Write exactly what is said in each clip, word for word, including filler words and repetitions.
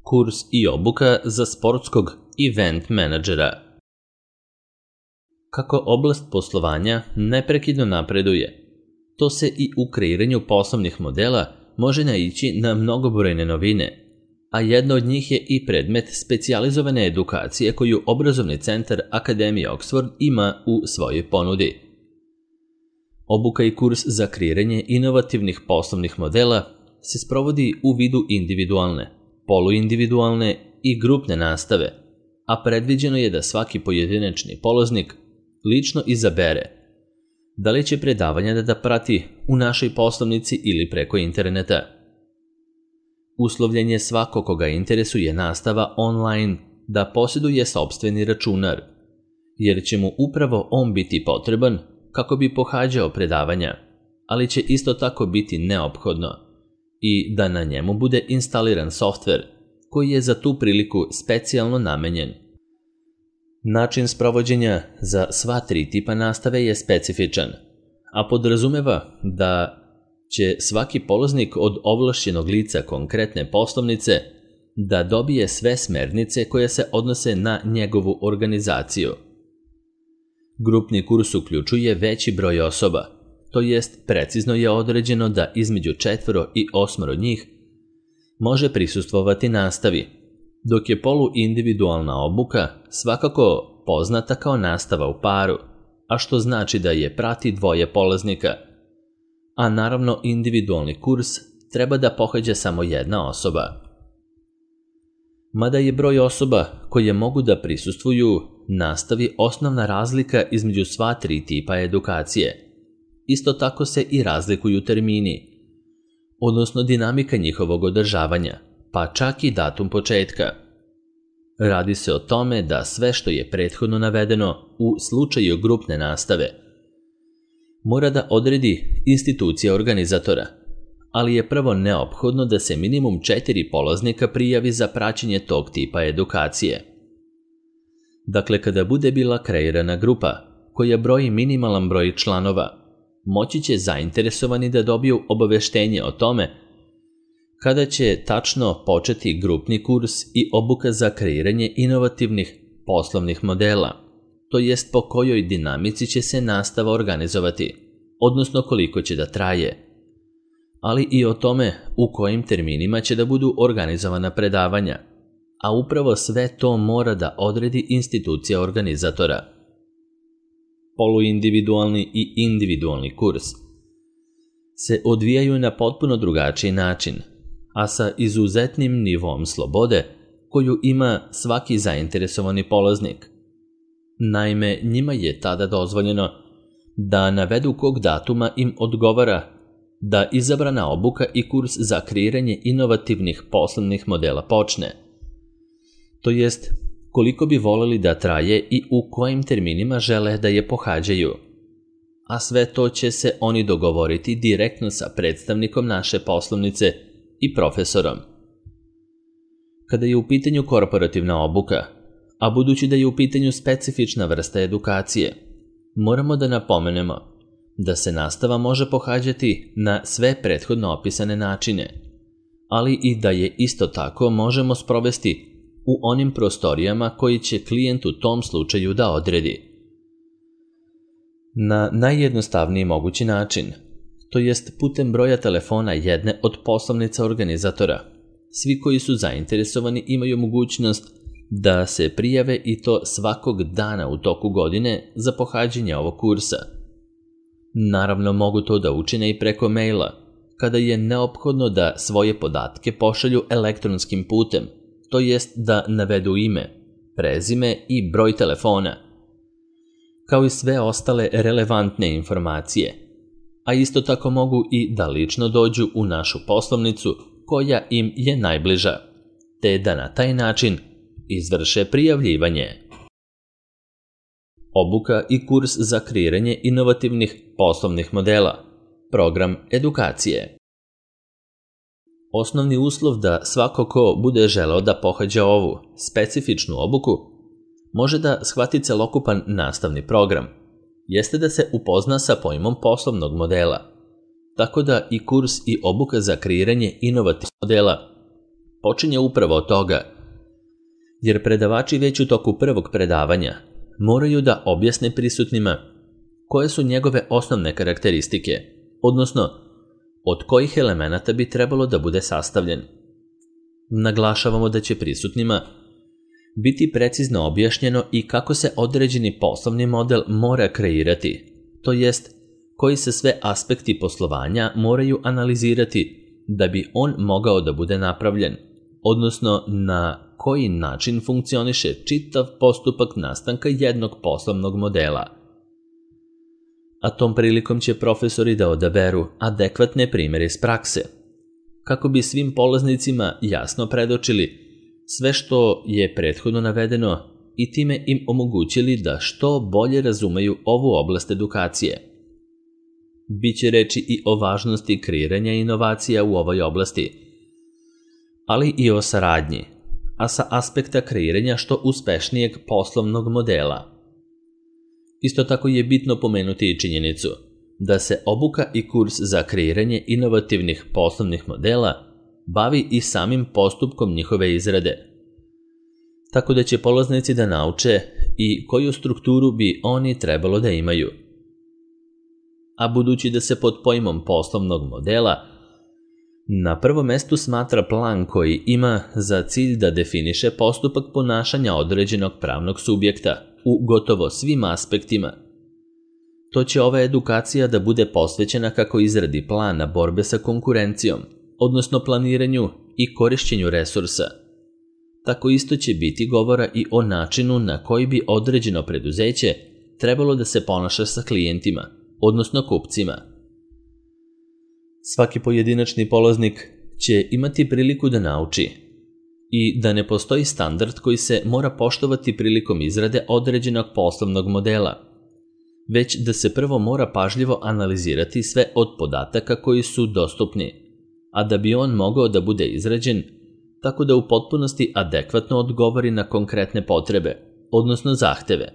Kurs i obuka za sportskog event menadžera. Kako oblast poslovanja neprekidno napreduje, to se i u kreiranju poslovnih modela može naići na mnogobrojne novine, a jedna od njih je i predmet specijalizovane edukacije koju obrazovni centar Akademije Oxford ima u svojoj ponudi. Obuka i kurs za kreiranje inovativnih poslovnih modela se sprovodi u vidu individualne, poluindividualne i grupne nastave, a predviđeno je da svaki pojedinačni polaznik lično izabere da li će predavanja da prati u našoj poslovnici ili preko interneta. Uslovljen je svako koga interesuje nastava online da posjeduje sopstveni računar, jer će mu upravo on biti potreban kako bi pohađao predavanja, ali će isto tako biti neophodno i da na njemu bude instaliran softver koji je za tu priliku specijalno namenjen. Način sprovođenja za sva tri tipa nastave je specifičan, a podrazumeva da će svaki polaznik od ovlašćenog lica konkretne poslovnice da dobije sve smernice koje se odnose na njegovu organizaciju. Grupni kurs uključuje veći broj osoba, to jest precizno je određeno da između četvoro i osmoro njih može prisustvovati nastavi, dok je poluindividualna obuka svakako poznata kao nastava u paru, a što znači da je prati dvoje polaznika, a naravno individualni kurs treba da pohađa samo jedna osoba. Mada je broj osoba koje mogu da prisustvuju nastavi osnovna razlika između sva tri tipa edukacije, isto tako se i razlikuju termini, odnosno dinamika njihovog održavanja, pa čak i datum početka. Radi se o tome da sve što je prethodno navedeno u slučaju grupne nastave mora da odredi institucija organizatora, ali je prvo neophodno da se minimum četiri polaznika prijavi za praćenje tog tipa edukacije. Dakle, kada bude bila kreirana grupa koja broji minimalan broj članova, moći će zainteresovani da dobiju obaveštenje o tome kada će tačno početi grupni kurs i obuka za kreiranje inovativnih poslovnih modela, to jest po kojoj dinamici će se nastava organizovati, odnosno koliko će da traje, ali i o tome u kojim terminima će da budu organizovana predavanja, a upravo sve to mora da odredi institucija organizatora. Poluindividualni i individualni kurs se odvijaju na potpuno drugačiji način, a sa izuzetnim nivom slobode koju ima svaki zainteresovani polaznik. Naime, njima je tada dozvoljeno da navedu kog datuma im odgovara da izabrana obuka i kurs za kreiranje inovativnih poslovnih modela počne. To jest, koliko bi voleli da traje i u kojim terminima žele da je pohađaju. A sve to će se oni dogovoriti direktno sa predstavnikom naše poslovnice i profesorom. Kada je u pitanju korporativna obuka, a budući da je u pitanju specifična vrsta edukacije, moramo da napomenemo da se nastava može pohađati na sve prethodno opisane načine, ali i da je isto tako možemo sprovesti u onim prostorijama koji će klijent u tom slučaju da odredi. Na najjednostavniji mogući način, to jest putem broja telefona jedne od poslovnica organizatora, svi koji su zainteresovani imaju mogućnost da se prijave i to svakog dana u toku godine za pohađanje ovog kursa. Naravno mogu to da učine i preko maila, kada je neophodno da svoje podatke pošalju elektronskim putem, to jest da navedu ime, prezime i broj telefona, kao i sve ostale relevantne informacije, a isto tako mogu i da lično dođu u našu poslovnicu koja im je najbliža, te da na taj način izvrše prijavljivanje. Obuka i kurs za kreiranje inovativnih poslovnih modela, program edukacije. Osnovni uslov da svako ko bude želeo da pohađa ovu specifičnu obuku može da shvati celokupan nastavni program, jeste da se upozna sa pojmom poslovnog modela, tako da i kurs i obuka za kreiranje inovativnih modela počinje upravo od toga, jer predavači već u toku prvog predavanja moraju da objasne prisutnima koje su njegove osnovne karakteristike, odnosno od kojih elemenata bi trebalo da bude sastavljen. Naglašavamo da će prisutnima biti precizno objašnjeno i kako se određeni poslovni model mora kreirati, to jest koji se sve aspekti poslovanja moraju analizirati da bi on mogao da bude napravljen, odnosno na koji način funkcioniše čitav postupak nastanka jednog poslovnog modela. A tom prilikom će profesori da odaberu adekvatne primjere iz prakse, kako bi svim polaznicima jasno predočili sve što je prethodno navedeno i time im omogućili da što bolje razumeju ovu oblast edukacije. Biće reči i o važnosti kreiranja inovacija u ovoj oblasti, ali i o saradnji, a sa aspekta kreiranja što uspešnijeg poslovnog modela. Isto tako je bitno pomenuti i činjenicu da se obuka i kurs za kreiranje inovativnih poslovnih modela bavi i samim postupkom njihove izrade, tako da će polaznici da nauče i koju strukturu bi oni trebalo da imaju. A budući da se pod pojmom poslovnog modela na prvom mestu smatra plan koji ima za cilj da definiše postupak ponašanja određenog pravnog subjekta u gotovo svim aspektima, to će ova edukacija da bude posvećena kako izradi plana borbe sa konkurencijom, odnosno planiranju i korišćenju resursa. Tako isto će biti govora i o načinu na koji bi određeno preduzeće trebalo da se ponaša sa klijentima, odnosno kupcima. Svaki pojedinačni polaznik će imati priliku da nauči i da ne postoji standard koji se mora poštovati prilikom izrade određenog poslovnog modela, već da se prvo mora pažljivo analizirati sve od podataka koji su dostupni, a da bi on mogao da bude izrađen tako da u potpunosti adekvatno odgovori na konkretne potrebe, odnosno zahteve.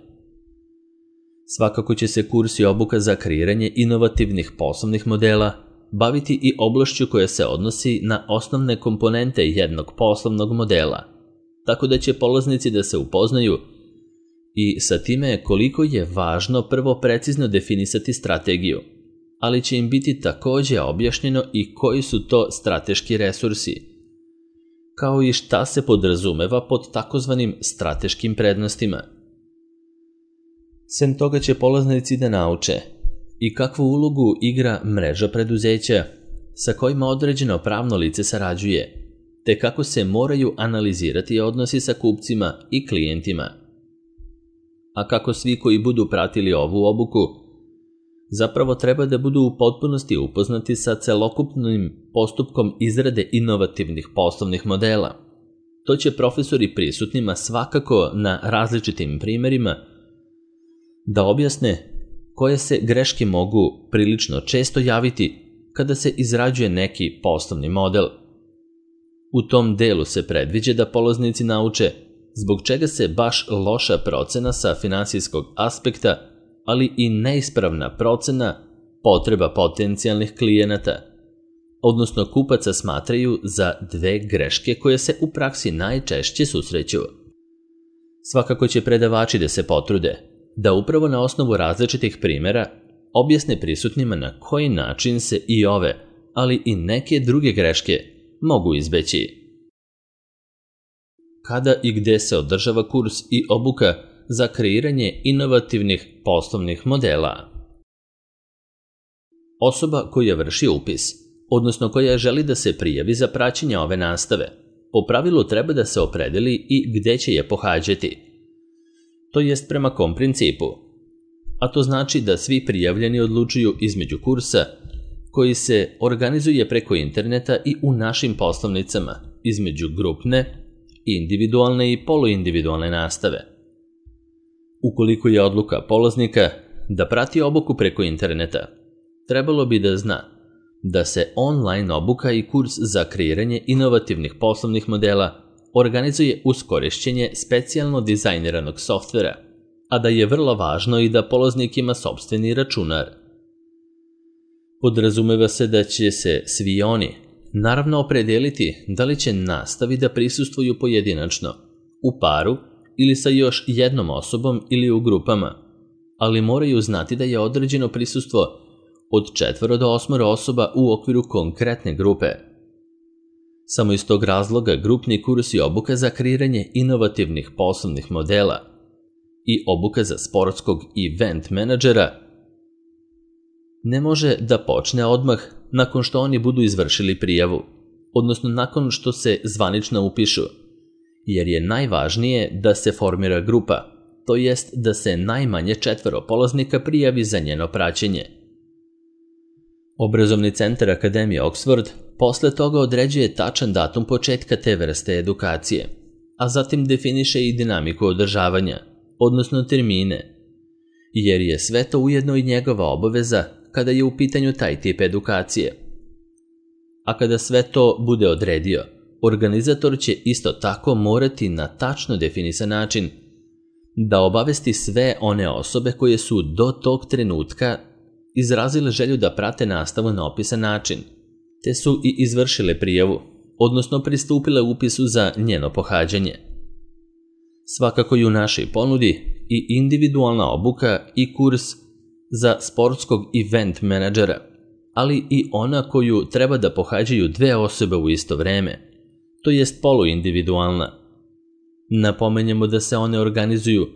Svakako će se kurs i obuka za kreiranje inovativnih poslovnih modela baviti i oblašću koja se odnosi na osnovne komponente jednog poslovnog modela, tako da će polaznici da se upoznaju i sa time koliko je važno prvo precizno definisati strategiju, ali će im biti takođe objašnjeno i koji su to strateški resursi, kao i šta se podrazumeva pod takozvanim strateškim prednostima. Sem toga će polaznici da nauče i kakvu ulogu igra mreža preduzeća sa kojima određeno pravno lice sarađuje, te kako se moraju analizirati odnosi sa kupcima i klijentima. A kako svi koji budu pratili ovu obuku zapravo treba da budu u potpunosti upoznati sa celokupnim postupkom izrade inovativnih poslovnih modela. To će profesori prisutnima svakako na različitim primjerima da objasne koje se greške mogu prilično često javiti kada se izrađuje neki poslovni model. U tom delu se predviđa da polaznici nauče zbog čega se baš loša procena sa finansijskog aspekta, ali i neispravna procena potreba potencijalnih klijenata, odnosno kupaca smatraju za dve greške koje se u praksi najčešće susreću. Svakako će predavači da se potrude da upravo na osnovu različitih primjera objasne prisutnima na koji način se i ove, ali i neke druge greške mogu izbeći. Kada i gde se održava kurs i obuka za kreiranje inovativnih poslovnih modela? Osoba koja vrši upis, odnosno koja želi da se prijavi za praćenje ove nastave, po pravilu treba da se opredeli i gde će je pohađati. To jest prema kom principu. A to znači da svi prijavljeni odlučuju između kursa koji se organizuje preko interneta i u našim poslovnicama, između grupne, individualne i poluindividualne nastave. Ukoliko je odluka polaznika da prati obuku preko interneta, trebalo bi da zna da se online obuka i kurs za kreiranje inovativnih poslovnih modela organizuje uz korišćenje specijalno dizajniranog softvera, a da je vrlo važno i da polaznik ima sopstveni računar. Podrazumeva se da će se svi oni naravno opredijeliti da li će nastavi da prisustvuju pojedinačno, u paru ili sa još jednom osobom ili u grupama, ali moraju znati da je određeno prisustvo od četvoro do osmoro osoba u okviru konkretne grupe. Samo iz tog razloga grupni kurs i obuka za kreiranje inovativnih poslovnih modela i obuka za sportskog event menadžera ne može da počne odmah nakon što oni budu izvršili prijavu, odnosno nakon što se zvanično upišu, jer je najvažnije da se formira grupa, to jest da se najmanje četvoro polaznika prijavi za njeno praćenje. Obrazovni centar Akademije Oxford posle toga određuje tačan datum početka te vrste edukacije, a zatim definiše i dinamiku održavanja, odnosno termine, jer je sve to ujedno i njegova obaveza kada je u pitanju taj tip edukacije. A kada sve to bude odredio, organizator će isto tako morati na tačno definisan način da obavesti sve one osobe koje su do tog trenutka izrazile želju da prate nastavu na opisan način, te su i izvršile prijavu, odnosno pristupile upisu za njeno pohađanje. Svakako i u našoj ponudi i individualna obuka i kurs za sportskog event menadžera, ali i ona koju treba da pohađaju dve osobe u isto vreme, to jest poluindividualna. Napomenjemo da se one organizuju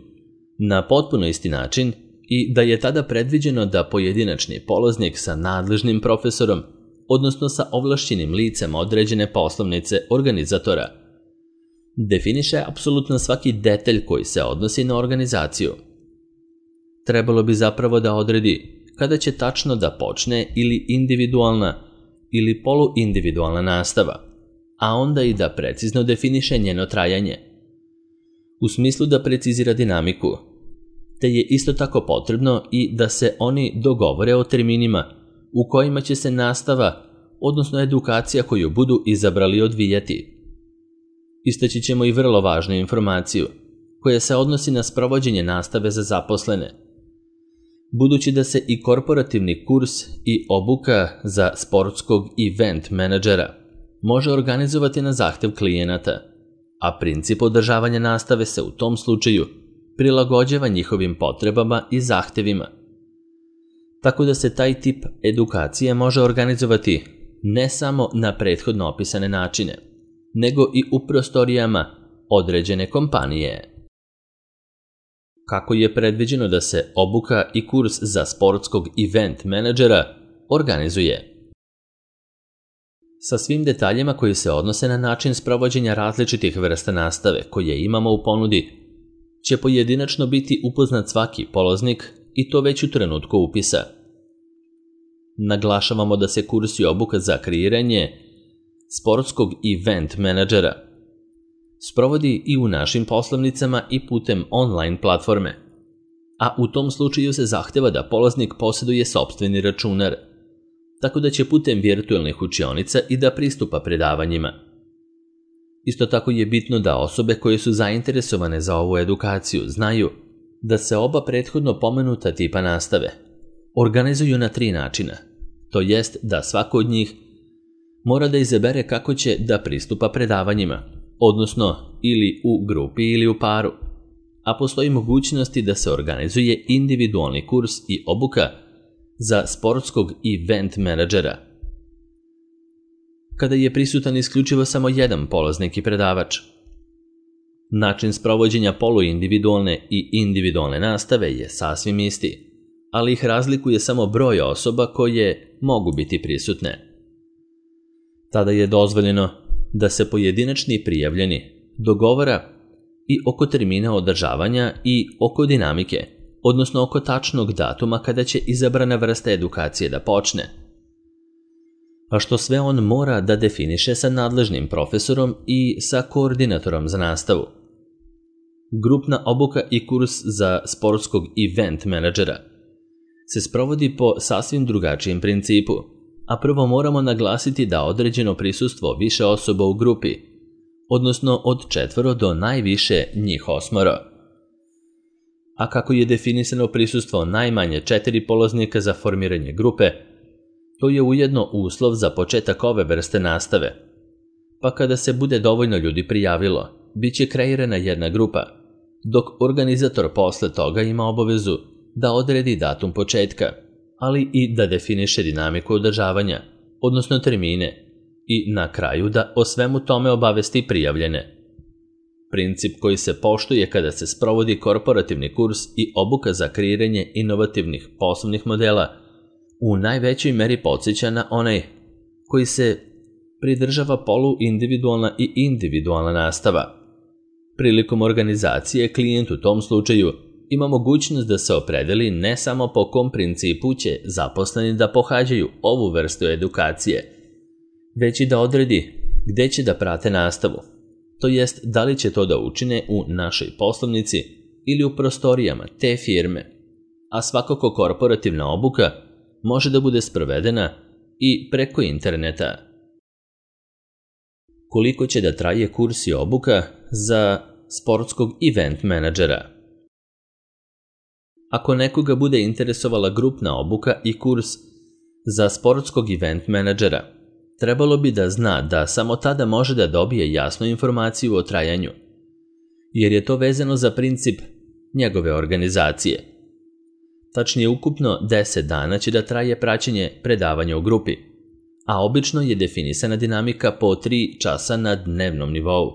na potpuno isti način i da je tada predviđeno da pojedinačni polaznik sa nadležnim profesorom, odnosno sa ovlašćenim licem određene poslovnice organizatora, definiše apsolutno svaki detalj koji se odnosi na organizaciju. Trebalo bi zapravo da odredi kada će tačno da počne ili individualna ili poluindividualna nastava, a onda i da precizno definiše njeno trajanje, u smislu da precizira dinamiku, te je isto tako potrebno i da se oni dogovore o terminima u kojima će se nastava, odnosno edukacija koju budu izabrali, odvijati. Istaći ćemo i vrlo važnu informaciju, koja se odnosi na sprovođenje nastave za zaposlene. Budući da se i korporativni kurs i obuka za sportskog event menadžera može organizovati na zahtev klijenata, a princip održavanja nastave se u tom slučaju prilagođava njihovim potrebama i zahtevima. Tako da se taj tip edukacije može organizovati ne samo na prethodno opisane načine, nego i u prostorijama određene kompanije. Kako je predviđeno da se obuka i kurs za sportskog event menadžera organizuje? Sa svim detaljima koji se odnose na način sprovođenja različitih vrsta nastave koje imamo u ponudi, će pojedinačno biti upoznat svaki polaznik i to već u trenutku upisa. Naglašavamo da se kurs i obuka za kreiranje sportskog event menadžera sprovodi i u našim poslovnicama i putem online platforme, a u tom slučaju se zahteva da polaznik posjeduje sopstveni računar, tako da će putem virtualnih učionica i da pristupa predavanjima. Isto tako je bitno da osobe koje su zainteresovane za ovu edukaciju znaju da se oba prethodno pomenuta tipa nastave organizuju na tri načina, to jest da svako od njih mora da izabere kako će da pristupa predavanjima, odnosno ili u grupi ili u paru, a postoji mogućnosti da se organizuje individualni kurs i obuka za sportskog event menadžera, kada je prisutan isključivo samo jedan polaznik i predavač. Način sprovođenja poluindividualne i individualne nastave je sasvim isti, ali ih razlikuje samo broj osoba koje mogu biti prisutne. Tada je dozvoljeno da se pojedinačni prijavljeni dogovara i oko termina održavanja i oko dinamike, odnosno oko tačnog datuma kada će izabrana vrsta edukacije da počne, a što sve on mora da definiše sa nadležnim profesorom i sa koordinatorom za nastavu. Grupna obuka i kurs za sportskog event menadžera se sprovodi po sasvim drugačijem principu, a prvo moramo naglasiti da određeno prisustvo više osoba u grupi, odnosno od četvoro do najviše njih osmoro. A kako je definisano prisustvo najmanje četiri polaznika za formiranje grupe, To je ujedno uslov za početak ove vrste nastave. Pa kada se bude dovoljno ljudi prijavilo, bit će kreirana jedna grupa, dok organizator posle toga ima obavezu da odredi datum početka, ali i da definiše dinamiku održavanja, odnosno termine, i na kraju da o svemu tome obavesti prijavljene. Princip koji se poštuje kada se sprovodi korporativni kurs i obuka za kreiranje inovativnih poslovnih modela u najvećoj meri podsjeća na onaj koji se pridržava poluindividualna i individualna nastava. Prilikom organizacije klijent u tom slučaju ima mogućnost da se opredeli ne samo po kom principu će zaposleni da pohađaju ovu vrstu edukacije, već i da odredi gde će da prate nastavu, to jest da li će to da učine u našoj poslovnici ili u prostorijama te firme, a svakako korporativna obuka može da bude sprovedena i preko interneta. Koliko će da traje kurs i obuka za sportskog event menadžera? Ako nekoga bude interesovala grupna obuka i kurs za sportskog event menadžera, trebalo bi da zna da samo tada može da dobije jasnu informaciju o trajanju, jer je to vezano za princip njegove organizacije. Tačnije, ukupno deset dana će da traje praćenje predavanja u grupi, a obično je definisana dinamika po tri časa na dnevnom nivou,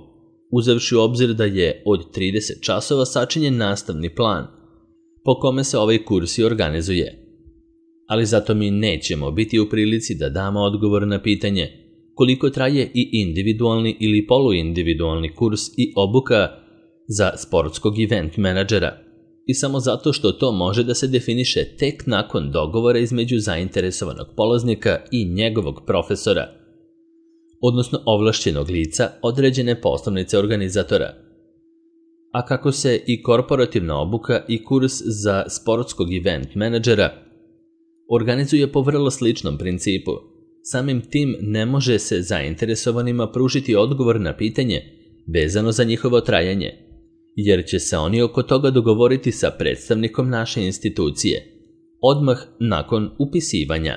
uzevši u obzir da je od trideset časova sačinjen nastavni plan, po kome se ovaj kurs i organizuje. Ali zato mi nećemo biti u prilici da damo odgovor na pitanje koliko traje i individualni ili poluindividualni kurs i obuka za sportskog event menadžera, i samo zato što to može da se definiše tek nakon dogovora između zainteresovanog polaznika i njegovog profesora, odnosno ovlašćenog lica određene poslovnice organizatora. A kako se i korporativna obuka i kurs za sportskog event menadžera organizuje po vrlo sličnom principu, samim tim ne može se zainteresovanima pružiti odgovor na pitanje vezano za njihovo trajanje, jer će se oni oko toga dogovoriti sa predstavnikom naše institucije odmah nakon upisivanja.